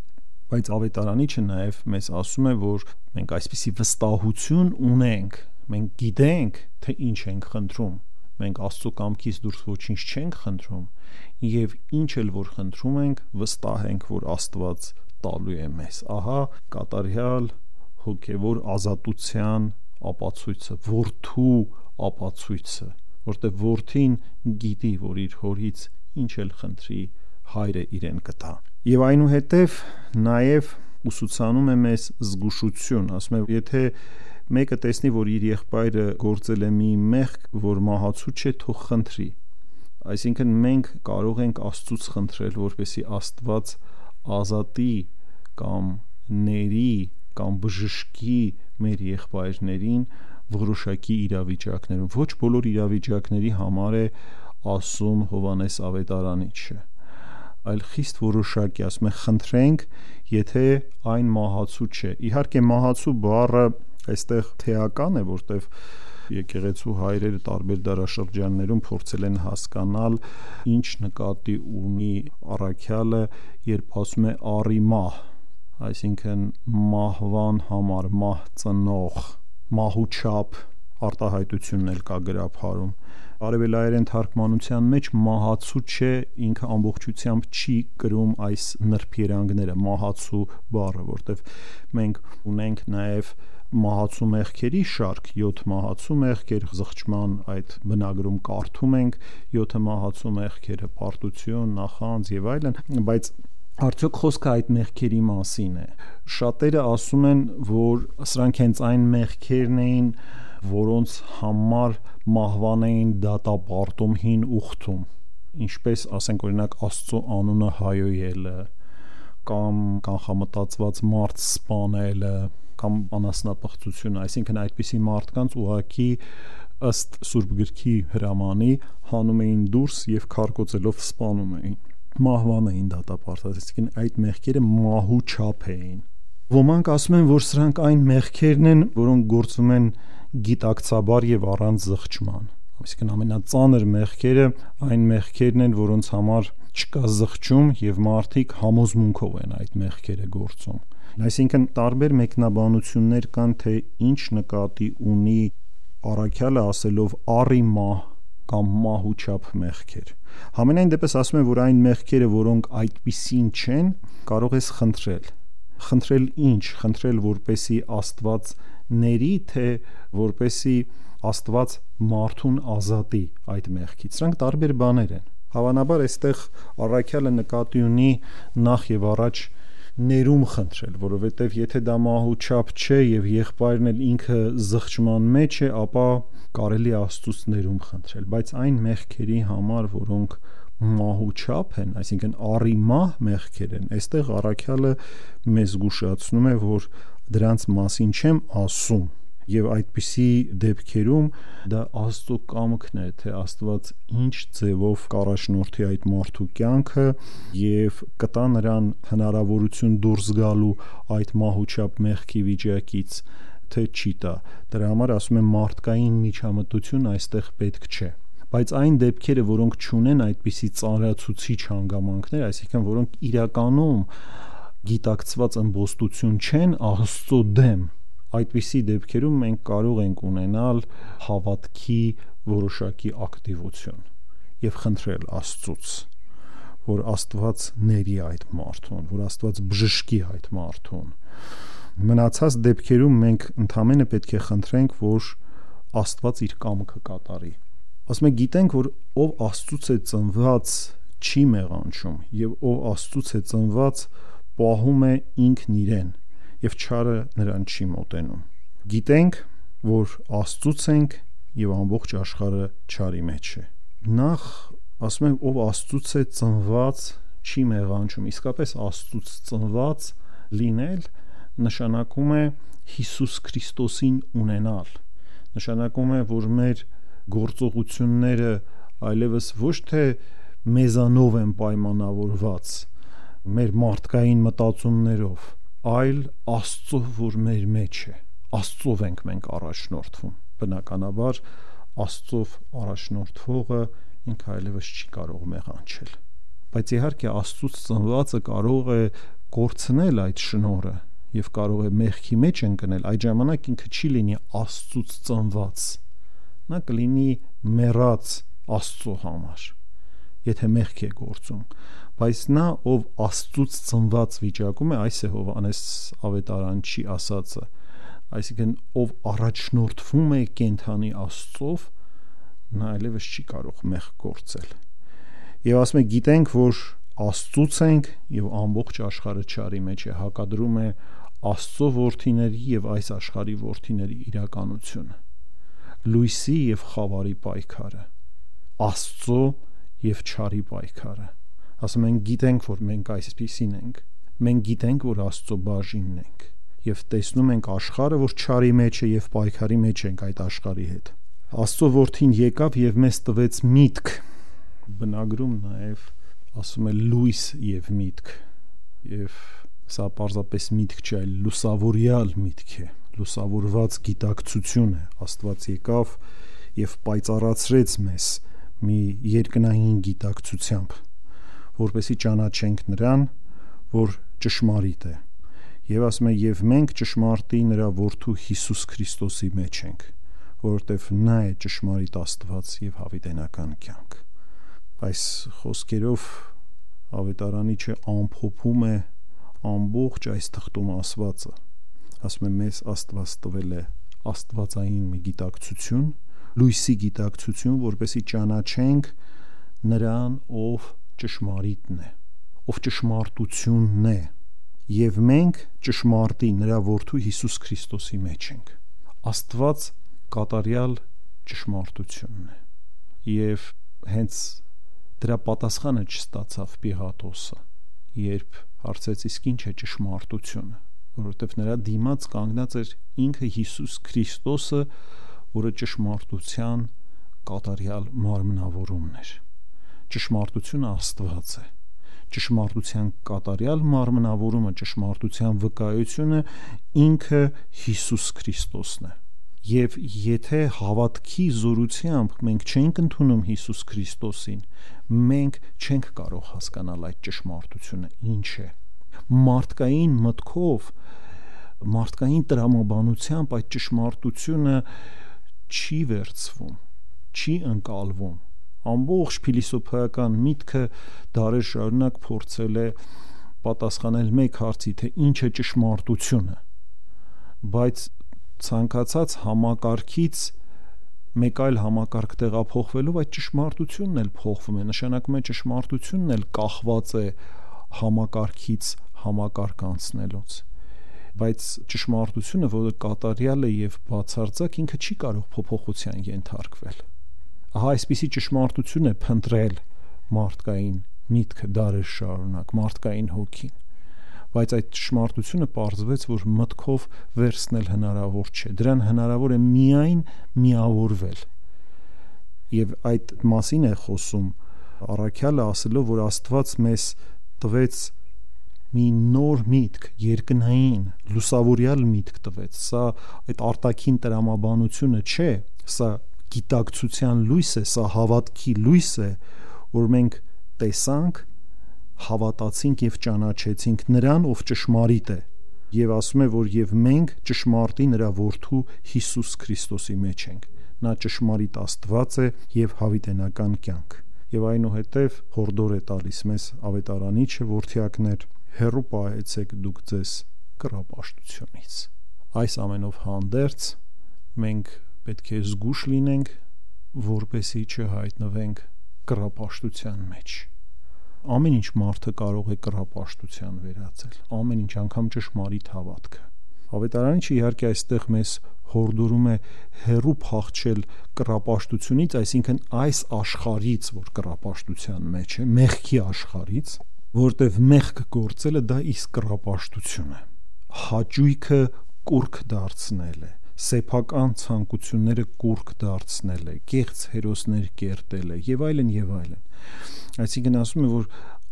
Բայց Ավետարանիչը նաեւ մեզ ասում է, որ մենք այսպիսի վստահություն ունենք, մենք գիտենք, թե ինչ ենք խնդրում, մենք Աստծո կամքից դուրս ոչինչ չենք խնդրում, եւ ինչ էլ որ խնդրում ենք, վստահ ենք, որ Աստված տալու է մեզ։ Ահա կատարյալ հոգևոր ազատության ապացույցը, որդու ապացույցը, որտեղ որդին գիտի, որ իր հորից ինչ էլ խնդրի, հայրը իրեն կտա։ Եվ այնուհետև նաև ուսուցանում է մեզ զգուշություն, ասում է, եթե մեկը տեսնի, որ իր եղբայրը գործել է մի մեղք, որ մահացու չէ, թող խնդրի։ Այսինքն մենք կարող ենք Աստծուց խնդրել, որպեսզի Աստված ազատի կամ ների կամ բժշկի մեր եղբայրներին որոշակի իրավիճակներում։ Ոչ բոլոր իրավիճակների համար է ասում Հովհաննես Ավետարանիչը, այլ խիստ որոշակի, ասում է խնդրենք, եթե այն մահացու չէ։ Իհարկե մահացու բառը այստեղ թեական է, որտեղ եկեղեցու հայրերը տարբեր դարաշրջաններում փորձել են հասկանալ ինչ նկատի ունի առաքյալը, երբ ասում է առիմահ, այսինքն մահվան համար, մահ ծնող, մահուչապ արտահայտությունն էլ կա գրաբարում։ Արևելայերեն թարգմանության մեջ մահացու չէ, ինքը ամբողջությամբ չի կրում այս նրբերանգները, մահացու բառը, որտեղ մենք ունենք նաև մահացու մեղքերի շարք, 7 մահացու մեղքեր, զղջման այդ բնագրում կարդում ենք 7 մահացու մեղքերը, պարտություն, նախանձ եւ այլն, բայց արդյոք խոսքը այդ մեղքերի մասին է։ Շատերը ասում են, որ սրանք հենց այն մեղքերն էին, որոնց համար մահվան էին դատապարտում հին ուխտում, ինչպես ասենք օրինակ Աստծո անունը հայոյելը, կամ կանխամտածված մարդ սպանելը, կամ անասնապղծությունը, այսինքն այդպիսի մարդկանց ուղղակի ըստ Սուրբ Գրքի հրամանի հանում էին դուրս եւ քարկոծելով սպանում էին։ մահվան էին դատապարտված, այսինքն այդ մեղքերը մահու չափ էին։ Ոմանք ասում են, որ սրանք այն մեղքերն են, որոնք գործվում են գիտակցաբար եւ առանց զղջման, այսինքն ամենածանր մեղքերը այն մեղքերն են, որոնց համար չկա զղջում եւ մարդիկ համոզմունքով են այդ մեղքերը գործում։ Այսինքն տարբեր մեկնաբանություններ կան, թե ինչ նկատի ունի առաքյալը ասելով առի մահ կամ մահուչափ մեղքեր։ Համենայն դեպս ասում են, որ այն մեղքերը, որոնք այդպիսին չեն, կարող ես խնդրել։ Խնդրել ինչ? Խնդրել, որպեսի Աստված ների, թե որպեսի Աստված մարդուն ազատի այդ մեղքից։ Սրանք տարբեր բաներ են։ Հավանաբար այստեղ առաքյալը նկատի ունի նախ եւ առաջ ներում խնդրել, որովհետեւ եթե դա մահուչափ չէ եւ եղբայրն էլ ինքը զղջման մեջ է, ապա կարելի է Աստծուց ներում խնդրել, բայց այն մեղքերի համար, որոնք մահուչափ են, այսինքն առի մահ մեղքեր են, այստեղ առաքյալը մեզ զգուշացնում է, որ դրանց մասին չեմ ասում, եւ այդպիսի դեպքերում դա Աստծո կամքն է, թե Աստված ինչ ձևով կառաջնորդի այդ մարդու կյանքը եւ կտա նրան հնարավորություն դուրս գալու այդ մահուչափ մեղքի վիճակից, թե չի տա։ Դրա համար ասում եմ, մարդկային միջամտություն այստեղ պետք չէ։ Բայց այն դեպքերը, որոնք չունեն այդպիսի ծանրացուցիչ հանգամանքներ, այսինքն որոնք իրականում գիտակցված ըմբոստություն չեն Աստծո դեմ, այդպիսի դեպքերում մենք կարող ենք ունենալ հավատքի որոշակի ակտիվություն եւ խնդրել Աստծուց, որ Աստված ների այդ մարդուն, որ Աստված բժշկի այդ մարդուն։ Մնացած դեպքերում մենք ընդհանրապես պետք է խնդրենք, որ Աստված իր կամքը կատարի։ Ասում ենք, գիտենք, որ ով Աստծուց է ծնված չի մեղանչում եւ ով Աստծուց է ծնված պահում է ինքն իրեն եւ չարը նրան չի մոտենում։ Գիտենք, որ Աստծուց ենք եւ ամբողջ աշխարհը չարի մեջ է։ Նախ ասում ենք, ով Աստծուց է ծնված չի մեղանչում։ Իսկապես Աստծուց ծնված լինել նշանակում է Հիսուս Քրիստոսին ունենալ։ Նշանակում է, որ մեր գործողությունները այլևս ոչ թե մեզանով են պայմանավորված, մեր մարդկային մտածումներով, այլ Աստծով, որ մեր մեջ է։ Աստծով ենք մենք առաջնորդվում։ Բնականաբար Աստծով առաջնորդվողը ինքը այլևս չի կարող մեղանչել։ Բայց իհարկե Աստծուց ծնվածը կարող է կորցնել այդ շնորհը եւ կարող է մեղքի մեջ ընկնել, այդ ժամանակ ինքը չի լինի Աստծուց ծնված, նա կլինի մեռած Աստծո համար, եթե մեղք է գործում, բայց նա, ով Աստծուց ծնված վիճակում է, այս է Հովհաննես ավետարանչի ասածը, այսինքն ով առաջնորդվում է կենդանի Աստծով, նա այլևս չի կարող մեղք գործել։ Եվ ասում է, գիտենք, որ Աստծուց ենք եւ ամբողջ աշխարհը չարի մեջ է, հակադրում է Աստծո որդիների եւ այս աշխարհի որդիների իրականությունը, լույսի եւ խավարի պայքարը, Աստծո եւ չարի պայքարը։ Ասում են, գիտենք, որ մենք այսպիսին ենք, մենք գիտենք, որ Աստծո բաժինն ենք եւ տեսնում ենք աշխարհը, որ չարի մեջ է եւ պայքարի մեջ ենք այդ աշխարհի հետ։ Աստծո որդին եկավ եւ մեզ տվեց միտք, բնագրում նաեւ ասում է լույս եւ միտք, եւ սա պարզապես միտք չէ, այլ լուսավորյալ միտք է, լուսավորված գիտակցություն է։ Աստված եկավ եւ պայծառացրեց մեզ մի երկնային գիտակցությամբ, որպեսզի ճանաչենք նրան, որ ճշմարիտ է։ Եվ ասում է, եւ մենք ճշմարտի նրա որդու Հիսուս Քրիստոսի մեջ ենք, որովհետեւ նա է ճշմարիտ Աստված եւ հավիտենական կյանք։ Այս խոսքերով ավետարանիչը ամփոփում է ամբողջ այս թղթում ասվածը, ասում է, մեզ Աստված տվել է աստվածային մի գիտակցություն, լույսի գիտակցություն, որպեսզի ճանաչենք նրան, ով ճշմարիտն է, ով ճշմարտությունն է, եւ մենք ճշմարտի նրա որդու Հիսուս Քրիստոսի մեջ ենք։ Աստված կատարյալ ճշմարտությունն է, եւ հենց դրա պատասխանը չստացավ Պիղատոսը, երբ հարցեց, իսկ ինչ է ճշմարտությունը, որովհետև նրա դիմաց կանգնած էր ինքը Հիսուս Քրիստոսը, որը ճշմարտության կատարյալ մարմնավորումն էր։ Ճշմարտությունը Աստված է, ճշմարտության կատարյալ մարմնավորումը, ճշմարտության վկայությունը ինքը Հիսուս Քրիստոսն է։ Եվ եթե հավատքի զորությամբ մենք չենք ընդունում Հիսուս Քրիստոսին, մենք չենք կարող հասկանալ այդ ճշմարտությունը ինչ է։ Մարդկային մտքով, մարդկային տրամաբանությամբ այդ ճշմարտությունը չի վերցվում, չի ընկալվում։ Ամբողջ փիլիսոփայական միտքը դարեր շարունակ փորձել է պատասխանել մեկ հարցի, թե ինչ է ճշմարտությունը, բայց ցանկացած համակարգից մեկ այլ համակարգ տեղափոխվելով այդ ճշմարտությունն էլ փոխվում է, նշանակում է ճշմարտությունն էլ կախված է համակարգից համակարգ անցնելուց, բայց ճշմարտությունը, որը կատարյալ է եւ բացարձակ, ինքը չի կարող փոփոխության ենթարկվել։ Ահա այսպիսի ճշմարտություն է փնտրել մարդկային միտքը դարեր շարունակ, մարդկային հոգին, բայց այդ ճշմարտությունը պարզվեց, որ մտքով վերցնել հնարավոր չէ, դրան հնարավոր է միայն միավորվել։ Եվ այդ մասին է խոսում առաքյալը, ասելով, որ Աստված մեզ տվեց մի նոր միտք, երկնային, լուսավորյալ միտք տվեց։ Սա այդ արտաքին տրամաբանությունը չէ, սա գիտակցության լույս է, սա հավատքի լույս է, որ մենք տեսանք, հավատացինք եւ ճանաչեցինք նրան, ով ճշմարիտ է, եւ ասում է, որ եւ մենք ճշմարտի նրա որդու Հիսուս Քրիստոսի մեջ ենք։ Նա ճշմարիտ Աստված է եւ հավիտենական կյանք։ Եվ այնուհետև հորդոր է տալիս մեզ ավետարանիչը, որդյակներ, հեռու պահեցեք դուք ձեզ կռապաշտությունից։ Այս ամենով հանդերձ մենք պետք է զգուշ լինենք, որպեսզի չհայտնվենք կռապաշտության մեջ։ Ամեն ինչ մարդը կարող է կռապաշտության վերածել, ամեն ինչ, անգամ ճշմարիտ հավատքը։ Ավետարանիչը իհարկե այստեղ մեզ հորդորում է հեռու փախչել կռապաշտությունից, այսինքն այս աշխարհից, որ կռապաշտության մեջ է, մեղքի աշխարհից, որտեղ մեղք գործելը դա իսկ կռապաշտություն է։ Հաճույքը կուրք դարձնել է, սեփական ցանկությունները կուրք դարձնել է, կեղծ հերոսներ կերտել է եւ այլն եւ այլն։ Այսինքն ասում է, որ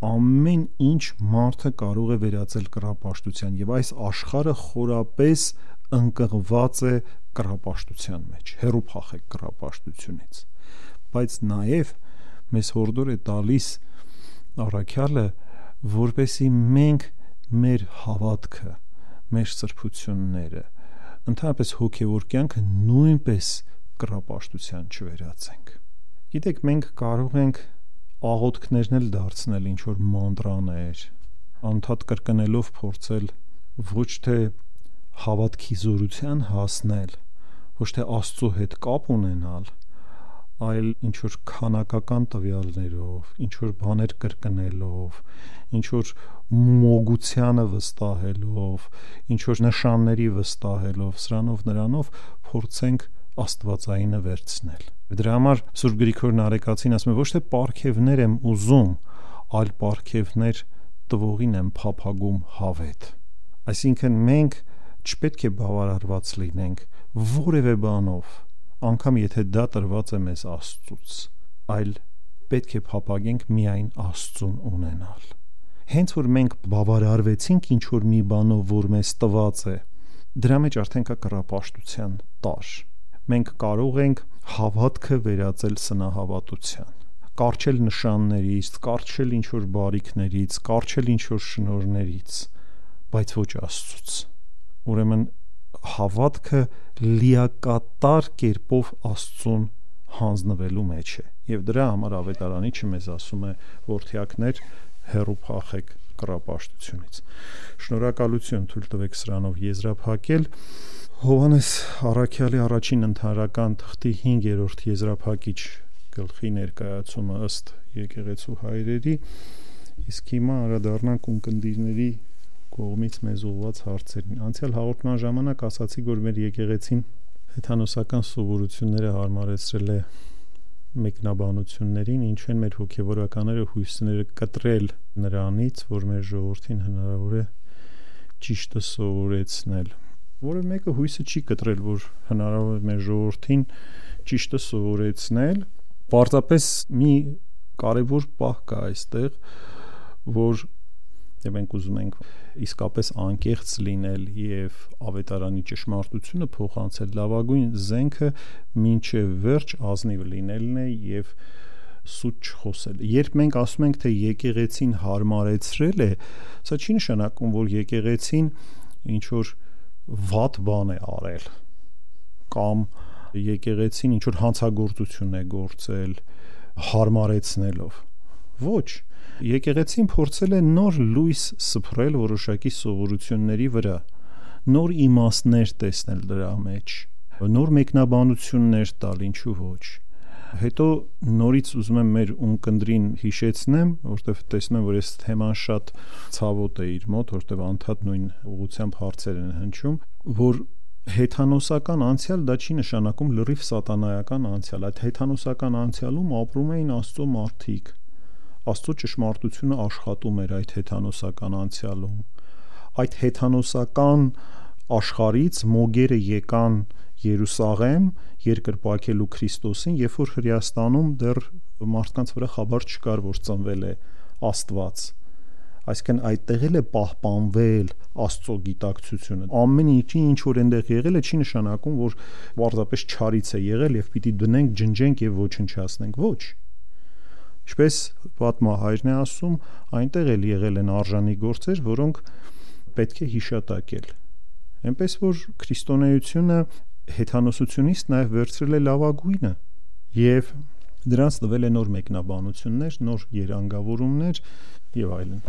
ամեն ինչ մարդը կարող է վերածել կռապաշտության եւ այս աշխարհը խորապես ընկղված է կռապաշտության մեջ, հեռու փախեք կռապաշտությունից։ Բայց նաեւ մեզ հորդոր է տալիս առաքյալը, որպեսզի մենք մեր հավատքը, մեր սրբությունները, ընդհանրապես հոգևոր կյանքը նույնպես կռապաշտության չվերածենք։ Գիտեք, մենք կարող ենք աղոթքներն էլ դարձնել ինչ որ մանտրաներ, անդադ կրկնելով փորձել ոչ թե հավատքի զորության հասնել, ոչ թե Աստծո հետ կապ ունենալ, այլ ինչ որ քանակական տվյալներով, ինչ որ բաներ կրկնելով, ինչ որ մոգությանը վստահելով, ինչ որ նշանների վստահելով, սրանով նրանով փորձենք աստվածայինը վերցնել։ Դրա համար Սուրբ Գրիգոր Նարեկացին ասում է, ոչ թե պարգևներ եմ ուզում, այլ պարգևներ տվողին եմ փափագում հավետ։ Այսինքն մենք չպետք է բավարարված լինենք որևէ բանով, անգամ եթե դա տրված է մեզ Աստծուց, այլ պետք է փափագենք միայն Աստծուն ունենալ։ Հենց որ մենք բավարարվեցինք ինչ որ մի բանով, որ մեզ տված է, դրա մեջ արդեն կա կռապաշտության տար։ Մենք կարող ենք հավատքը վերածել սնահավատության, կարճել նշաններից, կարճել ինչ որ բարիքներից, կարճել ինչ որ շնորհներից, բայց ոչ Աստծուց։ Ուրեմն հավատքը լիակատար կերպով Աստծուն հանձնվելու մեջ է, եւ դրա համար ավետարանիչը մեզ ասում է, որդյակներ, հեռու փախեք կռապաշտությունից։ Շնորհակալություն, թույլ տվեք սրանով եզրափակել Հովհաննես առաքյալի առաջին ընդհանրական թղթի 5-րդ եզրափակիչ գլխի ներկայացումը ըստ եկեղեցու հայրերի, իսկ հիմա անդրադառնանք ունկնդիրների կողմից մեզ ուղղված հարցերին։ Անցյալ հաղորդման ժամանակ ասացի, որ մեր եկեղեցին հեթանոսական սովորությունները հարմարեցրել է մեկնաբանություններին, ինչ են մեր հոգևորականները հույսները կտրել նրանից, որ մեր ժողովրդին հնարավոր է ճիշտը սովորեցնել։ Որը մեկը հույսը չի կտրել, որ հնարավոր է մեր ժողովրդին ճիշտը սովորեցնել, պարզապես մի կարևոր պահ կա այստեղ, որ մենք ուզում ենք իսկապես անկեղծ լինել եւ ավետարանի ճշմարտությունը փոխանցել, լավագույն զենքը մինչեւ վերջ ազնիվ լինելն է եւ սուտ չխոսել։ Երբ մենք ասում ենք, թե եկեղեցին հարմարեցրել է, սա չի նշանակում, որ եկեղեցին ինչ որ վատ բան է արել կամ եկեղեցին ինչ որ հանցագործություն է գործել հարմարեցնելով։ Ոչ, եկեղեցին փորձել է նոր լույս սփռել որոշակի սովորությունների վրա, նոր իմաստներ տեսնել դրա մեջ, նոր մեկնաբանություններ տալ, ինչու ոչ։ Հետո նորից ուզում եմ մեր ունկնդրին հիշեցնեմ, որովհետև տեսնում եմ, որ այս թեման շատ ցավոտ է իր մոտ, որովհետև անդադ նույն ուղղությամբ հարցեր են հնչում, որ հեթանոսական անցյալ դա չի նշանակում լրիվ սատանայական անցյալ, այդ հեթանոսական անցյալում ապրում էին Աստծո մարդիկ, Աստծո ճշմարտությունը աշխատում էր այդ հեթանոսական անցյալում, այդ հեթանոսական աշխարհից մոգերը եկան Երուսաղեմ երկրպագելու Քրիստոսին, երբ որ Հրեաստանում դեռ մարդկանց վրա խաբար չկար, որ ծնվել է Աստված, այսինքն այդտեղ էլ է պահպանվել Աստծո գիտակցությունը։ Ամեն ինչ որ այնտեղ եղել է, չի նշանակում, որ պարզապես չարից է եղել եւ պիտի դնենք, ջնջենք եւ ոչնչացնենք։ Ոչ։ Ինչպես պատմահայրն է ասում, այնտեղ էլ եղել են արժանի գործեր, որոնք պետք է հիշատակել։ Այնպես որ քրիստոնեությունը հեթանոսությունից նաև վերցրել է լավագույնը եւ դրանց տվել է նոր մեկնաբանություններ, նոր երանգավորումներ եւ այլն։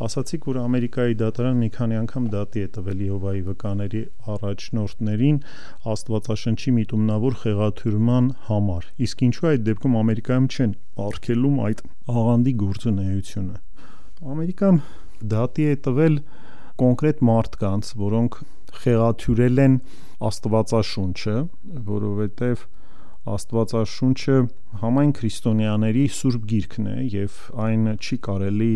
Ասացիք, որ Ամերիկայի դատարան մի քանի անգամ դատի է տվել Եհովայի վկաների առաջնորդներին Աստվածաշնչի միտումնավոր խեղաթյուրման համար։ Իսկ ինչու այդ դեպքում Ամերիկայում չեն արգելում այդ աղանդի գործունեությունը։ Ամերիկան դատի է տվել կոնկրետ մարդկանց, որոնք խեղաթյուրել են Աստվածաշունչը, որովհետև Աստվածաշունչը համայն քրիստոնյաների սուրբ գիրքն է եւ այն չի կարելի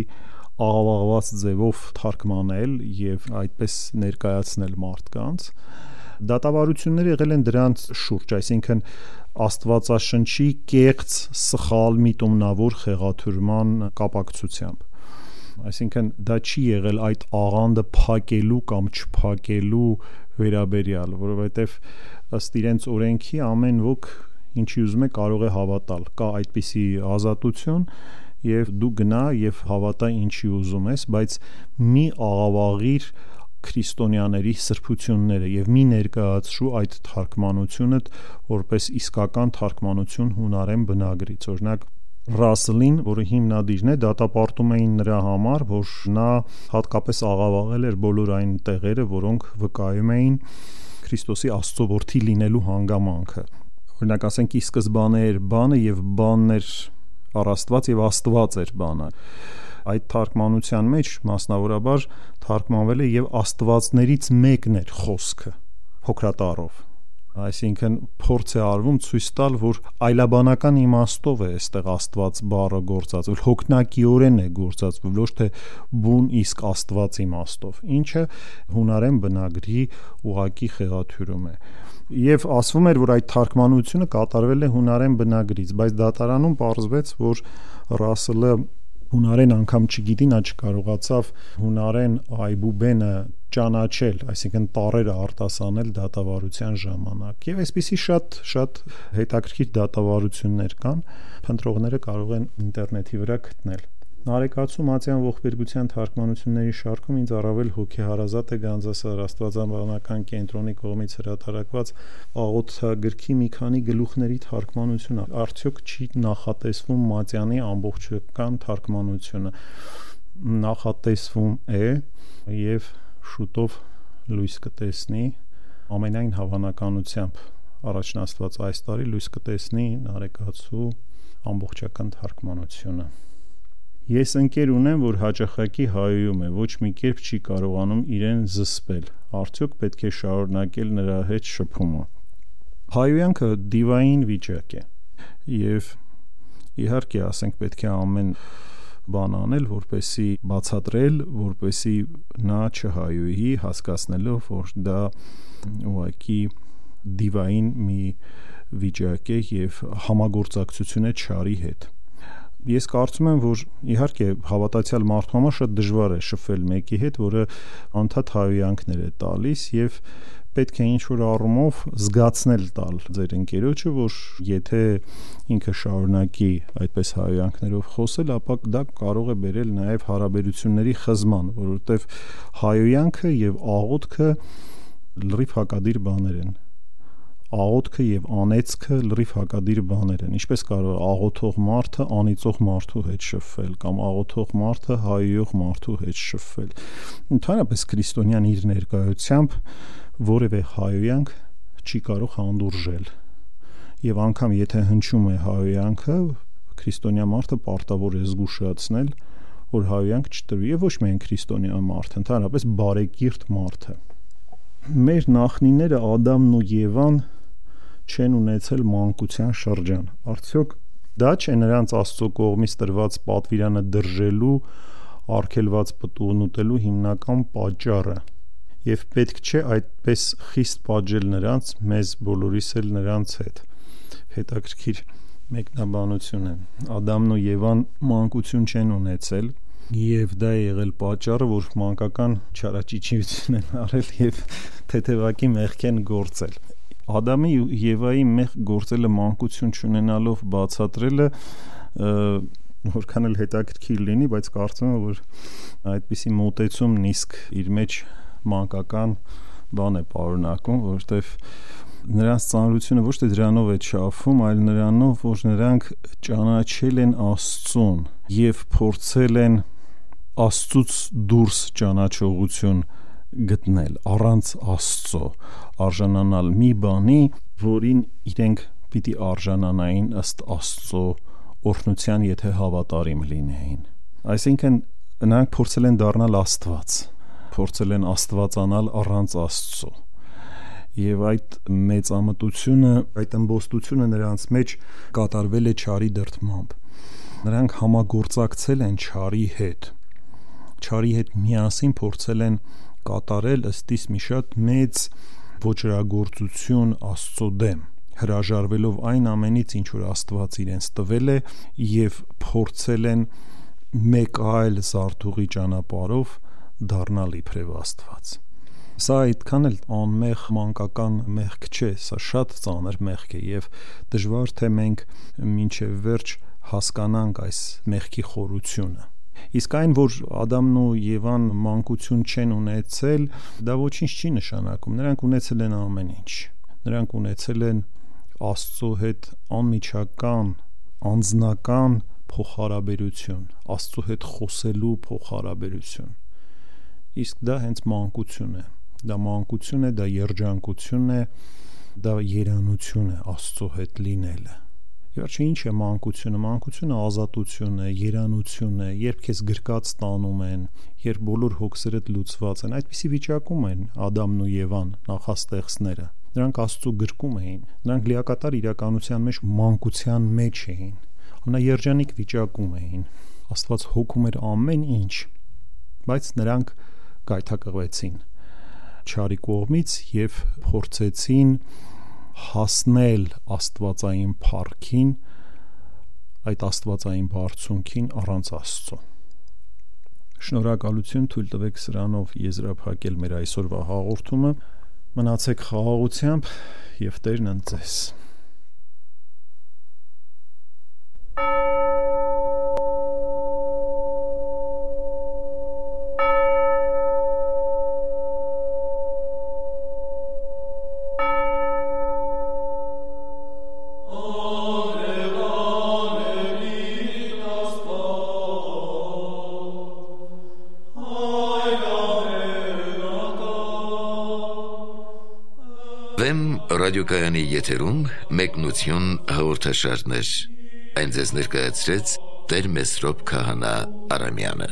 աղավաղված ձևով թարգմանել եւ այդպես ներկայացնել մարդկանց։ Դատավարություններ եղել են դրանց շուրջ, այսինքն Աստվածաշնչի կեղծ, սխալ, միտումնավոր խեղաթյուրման կապակցությամբ։ Այսինքն դա չի եղել այդ աղանդը փակելու կամ չփակելու վերաբերյալ, որովհետև ըստ իրենց օրենքի ամեն ոք ինչի ուզում է կարող է հավատալ, կա այդպիսի ազատություն եւ դու գնա եւ հավատա ինչի ուզում ես, բայց մի աղավաղիր քրիստոնյաների սրբությունները եւ մի ներկայացրու այդ թարգմանությունը որպես իսկական թարգմանություն հունարեն բնագրից։ Օրինակ Ռասլին, որը հիմնադիրն է, դատապարտում էին նրա համար, որ նա հատկապես աղավաղել էր բոլոր այն տեղերը, որոնք վկայում էին Քրիստոսի Աստծո որդի լինելու հանգամանքը։ Օրինակ ասենք ի սկզբանե էր բանը եւ բանն էր առ Աստված եւ Աստված էր բանը։ Այդ թարգմանության մեջ մասնավորաբար թարգմանվել է եւ Աստվածներից մեկն էր խոսքը փոքրատառով։ Այսինքն փորձ է արվում ցույց տալ, որ այլաբանական իմաստով է այստեղ Աստված բառը գործածվել, հոգնակիորեն է գործածվել, ոչ թե բուն իսկ Աստված իմաստով, ինչը հունարեն բնագրի ուղակի խեղաթյուրում է։ Եվ ասվում էր, որ այդ թարգմանությունը կատարվել է հունարեն բնագրից, բայց դատարանում պարզվեց, որ Ռասլը հունարեն անգամ չգիտի, նա չկարողացավ հունարեն այբուբենը ճանաչել, այսինքն տառերը արտասանել դատավարության ժամանակ։ Եվ այսպիսի շատ հետաքրքիր դատավարություններ կան, փնտրողները կարող են ինտերնետի վրա գտնել։ Նարեկացու Մատյան ողբերգության թարգմանությունների շարքում ինձ առավել հոգեհարազատ է Գանձասար Աստվածաբանական կենտրոնի կողմից հրատարակված աղոթագրքի մի քանի գլուխների թարգմանությունը։ Արդյոք չի նախատեսվում Մատյանի ամբողջական թարգմանությունը։ Նախատեսվում է եւ շուտով լույս կտեսնի, ամենայն հավանականությամբ առաջնաստված այս տարի լույս կտեսնի Նարեկացու ամբողջական թարգմանությունը։ Ես ընկեր ունեմ, որ հաճախակի հայոյում է, ոչ մի կերպ չի կարողանում իրեն զսպել։ Արդյոք պետք է շարունակել նրա հետ շփումը։ Հայոյանքը դիվային վիճակ է, եւ իհարկե ասենք պետք է ամեն բան անել, որպեսի բացատրել, որպեսի նա չհայոյի, հասկացնելով, որ դա ուղղակի դիվային մի վիճակ է եւ համագործակցություն է չարի հետ։ Ես կարծում եմ, որ իհարկե հավատացյալ մարդու համար շատ դժվար է շփվել մեկի հետ, որը անդադ հայհոյանքներ է տալիս, եւ պետք է ինչ-որ առումով զգացնել տալ ձեր ընկերոջը, որ եթե ինքը շարունակի այդպես հայհոյանքներով խոսել, ապա դա կարող է բերել նաև հարաբերությունների խզման, որովհետև հայհոյանքը եւ աղոթքը լրիվ հակադիր բաներ են։ Աղոթքը եւ անեծքը լրիվ հակադիր բաներ են։ Ինչպես կարող է աղոթող մարդը անիծող մարդու հետ շփվել կամ աղոթող մարդը հայհոյող մարդու հետ շփվել։ Ընդհանրապես քրիստոնյան իր ներկայությամբ որևէ հայհոյանք չի կարող հանդուրժել։ Եվ անգամ եթե հնչում է հայհոյանքը, քրիստոնյա մարդը պարտավոր է զգուշացնել, որ հայհոյանք չտրվի, եւ ոչ միայն քրիստոնյա մարդը, ընդհանրապես բարեկիրթ մարդը։ Մեր նախնիները Ադամն ու Եվան չեն ունեցել մանկության շրջան։ Արդյոք դա չէ նրանց Աստծո կողմից տրված պատվիրանը դրժելու, արգելված պտուղն ուտելու հիմնական պատճառը։ Եվ պետք չէ այդպես խիստ պատժել նրանց, մեզ բոլորիս էլ նրանց հետ։ Հետաքրքիր մեկնաբանություն է։ Ադամն ու Եվան մանկություն չեն ունեցել, եւ դա է եղել պատճառը, որ մանկական չարաճճիություն են արել եւ թեթևակի մեղք են գործել։ Ադամի ու Եվայի մեղք գործելը մանկություն չունենալով բացատրելը որքան էլ հետաքրքիր լինի, բայց կարծում եմ, որ այդպիսի մոտեցումն իսկ իր մեջ մանկական բան է պարունակում, որովհետև նրանց ծանրությունը ոչ թե դրանով է չափվում, այլ նրանով, որ նրանք ճանաչել են Աստծուն եւ փորձել են Աստծուց դուրս ճանաչողություն գտնել առանց Աստծո, արժանանալ մի բանի, որին իրենք պիտի արժանանային ըստ Աստծո օրհնության, եթե հավատարիմ լինեին։ Այսինքն նրանք փորձել են դառնալ Աստված, փորձել են աստվածանալ առանց Աստծո։ Եվ այդ մեծամտությունը, այդ ըմբոստությունը նրանց մեջ կատարվել է չարի դրդմամբ։ Նրանք համագործակցել են չարի հետ միասին փորձել են կատարել ըստիս մի շատ մեծ ոճրագործություն Աստծո դեմ, հրաժարվելով այն ամենից, ինչ որ Աստված իրենց տվել է, եւ փորձել են մեկ այլ զարթուղի ճանապարհով դառնալ իբրև Աստված։ Սա այդքան էլ անմեղ մանկական մեղք չէ, սա շատ ծանր մեղք է եւ դժվար թե մենք մինչեւ վերջ հասկանանք այս մեղքի խորությունը։ Իսկ այն, որ Ադամն ու Եվան մանկություն չեն ունեցել, դա ոչինչ չի նշանակում։ Նրանք ունեցել են ամեն ինչ։ Նրանք ունեցել են Աստծո հետ անմիջական, անձնական փոխհարաբերություն, Աստծո հետ խոսելու փոխհարաբերություն։ Իսկ դա հենց մանկություն է։ Դա մանկություն է, դա երջանկություն է, դա երանություն է Աստծո հետ լինելը։ Իհարկե ինչ է մանկությունը։ Մանկությունը ազատություն է, երանություն է, երբ քեզ գրկած տանում են, երբ բոլոր հոգսերդ լուծված են։ Այդպիսի վիճակում են Ադամն ու Եվան, նախաստեղծները։ Նրանք Աստծո գրկում էին, նրանք լիակատար իրականության մեջ մանկության մեջ էին, ամենաերջանիկ վիճակում էին։ Աստված հոգում էր ամեն ինչ, բայց նրանք գայթակղվեցին չարի կողմից եւ փորձեցին հասնել աստվածային փառքին, այդ աստվածային բարձունքին առանց Աստծո։ Շնորհակալություն, թույլ տվեք սրանով եզրափակել մեր այսօրվա հաղորդումը։ Մնացեք խաղաղությամբ եւ Տերն ընդ ձեզ։
Ռադիոկայանի եթերում մեկնություն հաղորդաշարներ։ Այն ձեզ ներկայացրեց Տեր Մեսրոպ Քահանա Արամյանը։